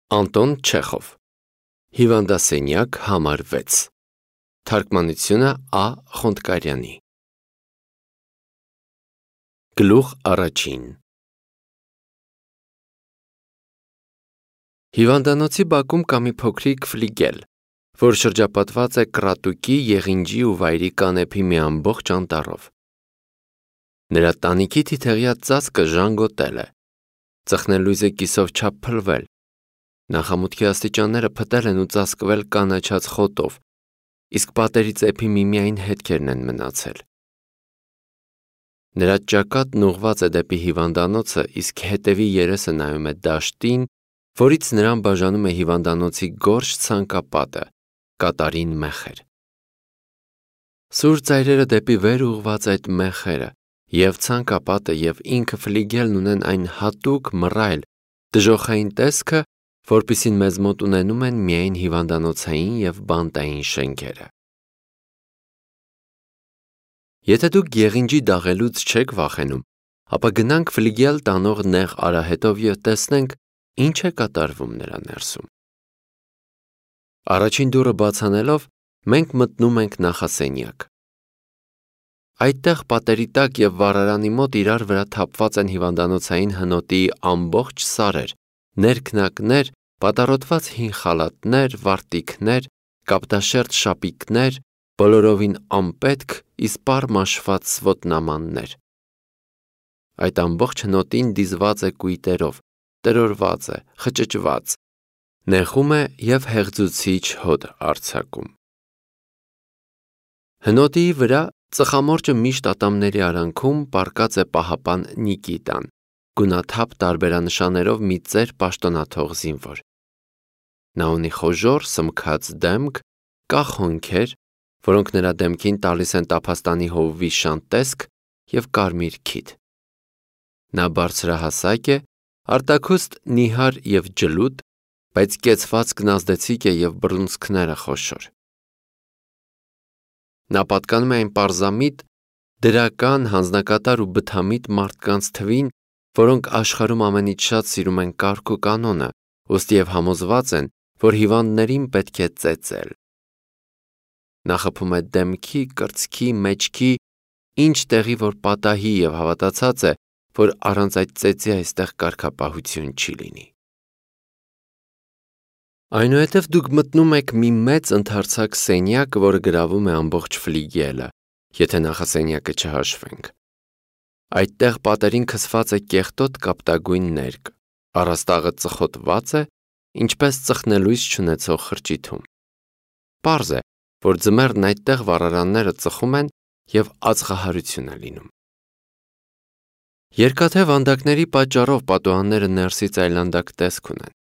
Անտոն Չեխով Հիվանդասենյակ համար 6 Թարգմանությունը Ա. Խոնդկարյանի Գլուխ առաջին Հիվանդանոցի բակում կա մի փոքրիկ ֆլիգել, որ շրջապատված է կռատուկի, եղինջի ու վայրի կանեփի մի ամբողջ անտառով։ Նրա տանիքի թիթեղյա ծածկը ժանգոտել է, ծխնելույզը կիսով չափ փլվել, նախամուտքի աստիճանները փտել են ու ծածկվել կանաչած խոտով, իսկ պատերի ծեփի միմիային հետքերն են մնացել։ Նրա ճակատն ուղղված է դեպի հիվանդանոցը, իսկ հետևի երեսը նայում է դաշտին, որից նրան բաժանում է հիվանդանոցի գորշ ցանկապատը, կատարին մեխեր։ Սուր ծայրերը դեպի վեր ուղղված այդ մեխերը, և ցանկապատը և ինքը ֆլիգելն ունեն այն հատուկ, մռայլ, դժոխային տեսքը, որպիսին մեզ մոտ ունենում են միայն հիվանդանոցային և բանտային շենքերը։ Եթե դուք եղինջի դաղելուց չեք վախենում, ապա գնանք ֆլիգել տանող նեղ արահետով և տեսնենք, ինչ է կատարվում նրա ներսում։ Առաջին դուռը բաց անելով, մենք մտնում ենք նախասենյակ։ Այդտեղ պատերի տակ և վառարանի մոտ իրար վրա թափված են հիվանդանոցային հնոտի ամբողջ սարեր, ներքնակներ, պատառոտված հին խալաթներ, վարտիքներ, կապտաշերտ շապիկներ, բոլորովին անպետք, իսպառ մաշված ոտնամաններ։ Այդ ամբողջ հնոտին դիզված է կույտերով, տրորված է, խճճված, նեղում է և հեղձուցիչ հոտ արձակում։ Հնոտի վրա ծխամորճը միշտ ատամների արանքում պառկած է պահապան Նիկիտան, գունաթափ տարբերանշաններով մի ծեր պաշտոնաթող զինվոր։ Նա ունի խոժոռ, սմքած դեմք, կախ հոնքեր, որոնք նրա դեմքին տալիս են տափաստանի հովվի շան տեսք և կարմիր քիթ։ Նա բարձրահասակ է, արտաքուստ նիհար և ջլուտ, բայց կեցվածքն ազդեցիկ է և բռունցքները խոշոր։ Նա պատկանում է այն պարզամիտ, դրական, հանձնակատար ու բթամիտ մարդկանց թվին, որոնք աշխարհում ամենից շատ սիրում են կարգ ու կանոնը, ուստիև համոզված են, որ հիվանդներին պետք է ծեծել։ Նա խփում է դեմքի, կրծքի, մեջքի, ինչ տեղի որ պատահի և հավատացած է, որ առանց այդ ծեծի այստեղ կարգապահություն չի լինի։ Այնուհետև դուք մտնում եք մի մեծ ընդարձակ սենյակ, որը գրավում է ամբողջ ֆլիգելը, եթե նախասենյակը չհաշվենք։ Այդտեղ պատերին քսված է կեղտոտ կապտագույն ներկ, առաստաղը ծխոտված է, ինչպես ծխնելույս չունեցող խրճիթում։ Պարզ է, որ ձմեռն այդտեղ վառարանները ծխում են և ածխահարություն է լինում։ Երկաթե վանդակների պատճառով պատուհանները ներսից այլանդակ տեսք ունեն։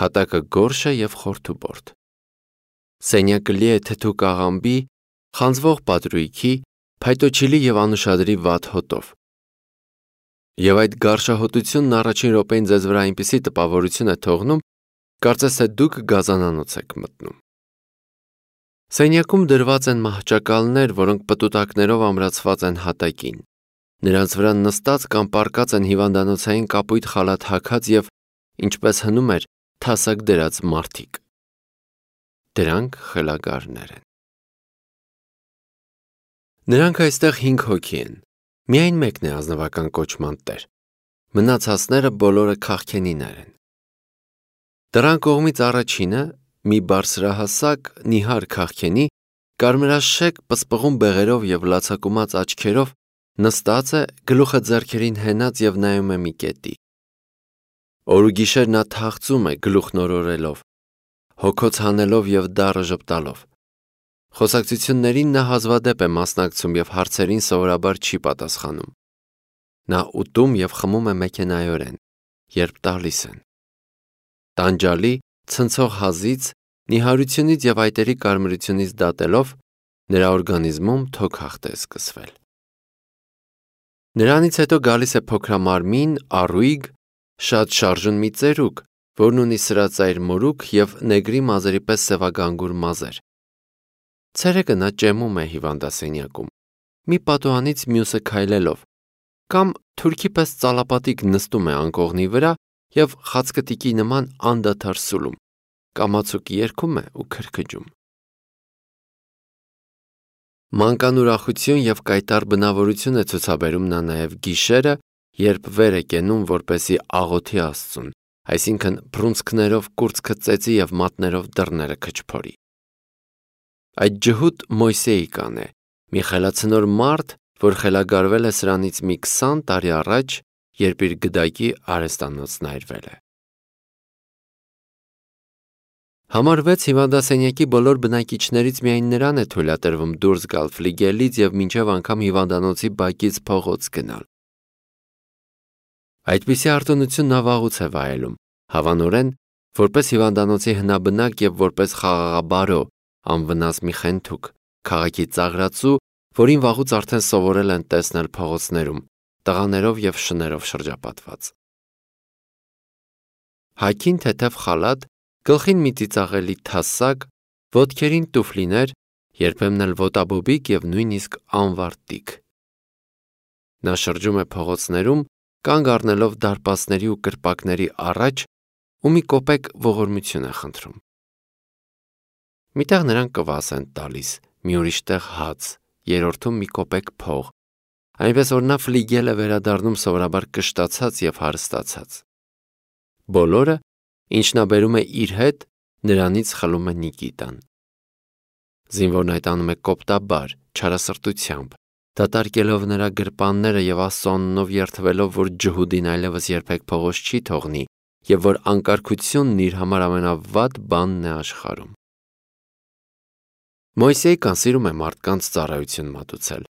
Հատակը գորշ է և խորթուբորդ։ Սենյակը լի է թթու կաղամբի, խանձվող պատրույգի, փայտոջիլի և անուշադրի վատ հոտով։ Եվ այդ գարշահոտությունն առաջին րոպեին ձեզ վրա այնպիսի տպավորություն է թողնում, կարծես թե դուք գազանանոց եք մտնում։ Սենյակում դրված են մահճակալներ, որոնք պտուտակներով ամրացված են հատակին։ Նրանց վրա նստած կամ պառկած են հիվանդանոցային կապույտ խալաթ հագած և, ինչպես հնում էր, թասակ դրած մարդիկ։ Դրանք խելագարներ են։ Նրանք այստեղ 5 հոգի են, միայն մեկն է ազնվական կոչման տեր, մնացածները բոլորը քաղքենիներ են։ Դռան կողմից առաջինը, մի բարձրահասակ, նիհար քաղքենի, կարմրաշեկ պսպղուն բեղերով և լացակումած աչքերով, նստած է, գլուխը ձեռքերին հենած և նայում է մի կետի։ Օր ու գիշեր նա թախծում է, գլուխն օրորելով, հոգոց հանելով և դառը ժպտալով։ Խոսակցություններին նա հազվադեպ է մասնակցում և հարցերին սովորաբար չի պատասխանում։ Նա ուտում և խմում է մեքենայորեն, երբ տալիս են։ Տանջալի, ցնցող հազից, նիհարությունից և այտերի կարմրությունից դատելով, նրա օրգանիզմում թոքախտ է սկսվել։ Նրանից հետո գալիս է փոքրամարմին, առույգ, շատ շարժուն մի ծերուկ, որն ունի սրածայր մորուք և նեգրի մազերի պես սևագանգուր մազեր։ Ցերեկը նա ճեմում է հիվանդասենյակում, մի պատուհանից մյուսը քայլելով, կամ թուրքի պես ծալապատիկ նստում է անկողնի վրա և խացկտիկի նման անդադար սուլում, կամացուկ երգում է ու քրքջում։ Մանկան ուրախություն և կայտառ բնավորություն է ցուցաբերում նա նաև գիշերը, երբ վեր է կենում, որպեսզի աղոթի Աստծուն, այսինքն բռունցքներով կուրծքը ծեծի և մատներով դռները քչփորի։ Այդ ջհուդ Մոյսեի կանն է, մի խելացնոր մարդ, որ խելագարվել է սրանից մի 20 տարի առաջ, երբ իր գդակի արհեստանոցն այրվել է։ Համար 6 հիվանդասենյակի բոլոր բնակիչներից միայն նրան է թույլատրվում դուրս գալ ֆլիգելից և մինչև անգամ հիվանդանոցի բակից փողոց գնալ։ Այդպիսի արտոնություն նա վաղուց է վայելում, հավանորեն, որպես հիվանդանոցի հնաբնակ և որպես խաղաղաբարո, անվնաս մի խենթուկ, քաղաքի ծաղրածու, որին վաղուց արդեն սովորել են տեսնել փողոցներում, տղաներով և շներով շրջապատված։ Հագին թեթև խալաթ, գլխին մի ծիծաղելի թասակ, ոտքերին տուֆլիներ, երբեմն էլ ոտաբոբիկ և նույնիսկ անվարտիկ։ Նա շրջում է փողոցներում, կանգ առնելով դարպասների ու կրպակների առաջ ու մի կոպեկ ողորմություն է խնդրում։ Մի տեղ նրան կվաս են տալիս, մի ուրիշ տեղ հաց, երրորդում մի կոպեկ փող, այնպես որ նա ֆլիգել է վերադառնում սովորաբար կշտացած և հարստացած։ Բոլորը, ինչ նա բերում է իր հետ, նրանից խլում է Նիկիտան։ Զինվորն այդ անում է կոպտաբար, չարասրտությամբ, դատարկելով նրա գրպանները և Աստծո անունով երդվելով, որ ջհուդին այլևս երբեք փողոց չի թողնի և որ անկարգությունն իր համար ամենավատ բանն է աշխարհում։ Մոյսեյ կան սիրում է մարդկանց ծառայություն մատուցել։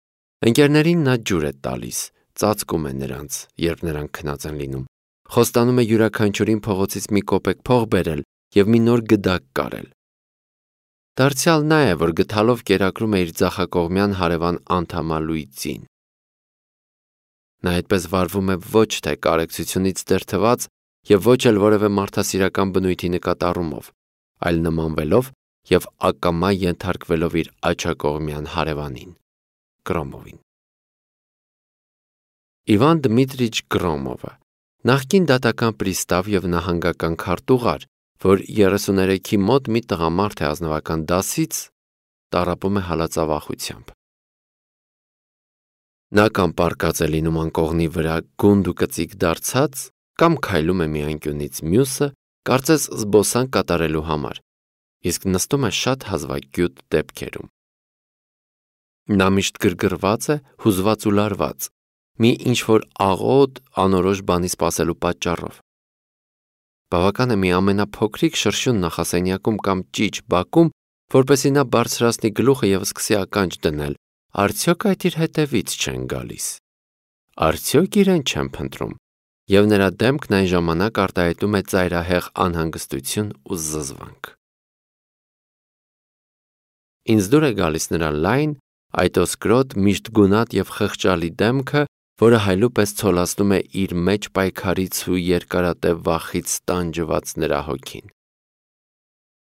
Ընկերներին նա ջուր է տալիս, ծածկում է նրանց, երբ նրանք քնած են լինում, խոստանում է յուրաքանչյուրին փողոցից մի կոպեկ փող բերել և մի նոր գդակ կարել։ Դարձյալ նա է, որ գդալով կերակրում է իր ձախակողմյան հարևան անդամալույծին։ Նա այդպես վարվում է ոչ թե կարեկցությունից դրդված և ոչ էլ որևէ մարդասիրական բնույթի նկատառումով, այլ նմանվելով և ակամա ենթարկվելով իր աջակողմյան հարևանին՝ Կրոմովին։ Իվան Դմիտրիչ Կրոմովը նախկին դատական պրիստավ և նահանգական քարտուղար, որ 33-ի մոտ մի տղամարդ է ազնվական դասից, տառապում է հալածավախությամբ։ Նա կամ պառկած է լինում անկողնի վրա գունդ ու կծիկ դարձած, կամ քայլում է մի անկյունից մյուսը, կարծես զբոսանք կատարելու համար, իսկ նստում է շատ հազվագյուտ դեպքերում։ Նա միշտ գրգռված է, հուզված ու լարված, մի ինչ-որ աղոտ, անորոշ բանի սպասելու պատճառով։ Բավական է մի ամենափոքրիկ շրշյուն նախասենյակում կամ ճիչ բակում, որպեսզի նա բարձրացնի գլուխը և սկսի ականջ դնել, արդյոք այդ իր հետևից չեն գալիս, արդյոք իրեն չեն փնտրում, և նրա դեմքն այն ժամանակ արտահայտում է ծայրահեղ անհանգստություն ու զզվանք։ Ինձ դուր է գալիս նրա լայն, այտոսկրոտ, միշտ գունատ և խղճալի դեմքը, որը հայլուպես ցոլացնում է իր մեջ պայքարից ու երկարատև վախից տանջված նրա հոգին։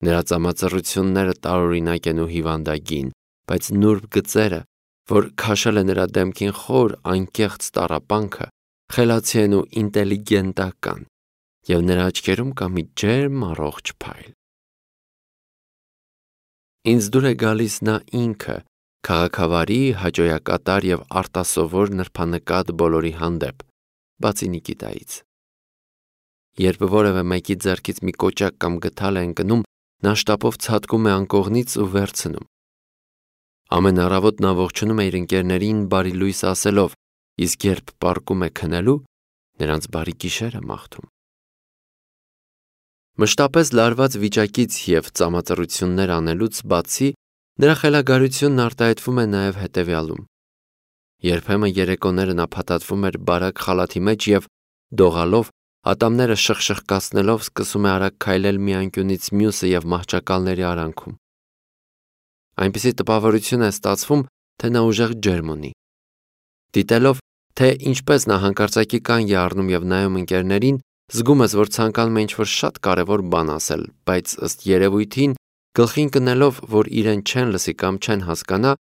Նրա ծամածռությունները տարօրինակ են ու հիվանդագին, բայց նուրբ գծերը, որ քաշել է նրա դեմքին խոր, անկեղծ տառապանքը, խելացի են ու ինտելիգենտական, և նրա աչքերում կա մի ջերմ առողջ փայլ։ Ինձ դուր է գալիս նա ինքը, քաղաքավարի, հաճոյակատար և արտասովոր նրբանկատ բոլորի հանդեպ, բացի Նիկիտայից։ Երբ որևէ մեկի ձեռքից մի կոճակ կամ գդալ է ընկնում, նա շտապով ցատկում է անկողնից ու վերցնում։ Ամեն առավոտ նա ողջունում է իր ընկերներին բարի լույս ասելով, իսկ երբ պառկում է քնելու, նրանց բարի գիշեր է մաղթում։ Մշտապես լարված վիճակից և ծամածռություններ անելուց բացի, նրա խելագարությունն արտահայտվում է նաև հետևյալում. երբեմն երեկոները նա փաթաթվում էր բարակ խալաթի մեջ և, դողալով, ատամները շխշխկացնելով, սկսում է արագ քայլել մի անկյունից մյուսը և մահճակալների արանքում։ Այնպիսի տպավորություն է ստացվում, թե նա ուժեղ ջերմ ունի։ Դիտելով, թե ինչպես նա հանկարծակի կանգ է առնում և նայում ընկերներին, զգում ես, որ ցանկանում է ինչ-որ շատ կարևոր բան ասել, բայց ըստ երևույթին, գլխին կնելով, որ իրեն չեն լսի կամ չեն հասկանա,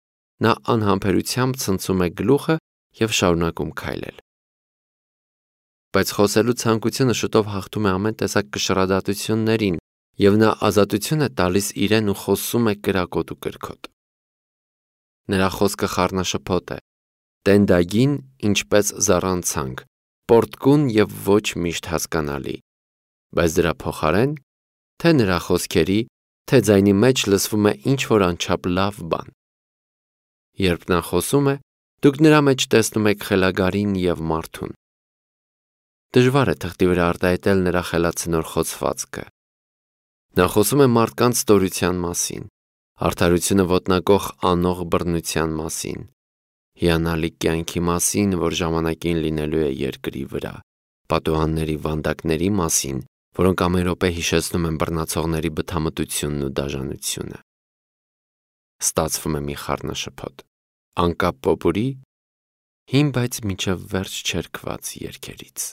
նա անհամբերությամբ ցնցում է գլուխը և շարունակում քայլել։ բայց խոսելու ցանկությունը շուտով հաղթում է ամեն տեսակ կշռադատություններին, եւ նա ազատություն է տալիս իրեն ու խոսում է կրակոտ ու կրքոտ։ Նրա խոսքը խառնաշփոթ է, տենդագին, ինչպես զառանցանք, պորտկուն եւ ոչ միշտ հասկանալի, բայց դրա փոխարեն, թե նրա խոսքերի, թե ձայնի մեջ լսվում է ինչ-որ անչափ լավ բան։ Երբ նա խոսում է, դուք նրա մեջ տեսնում եք խելագարին եւ մարդուն։ Դժվար է թղթի վրա արտահայտել նրա խելացնոր խոցվածքը։ Նա խոսում է մարդկանց ստորության մասին, արդարությունը ոտնակող անող բռնության մասին, հիանալի կյանքի մասին, որ ժամանակին լինելու է երկրի վրա, պատուհանների վանդակների մասին, որոնք ամեն րոպե հիշեցնում են բռնացողների բթամտությունն ու դաժանությունը։ Ստացվում է մի խառնաշփոթ, անկապ պոպուրի, հին բայց մինչև վերջ չերկված երգերից։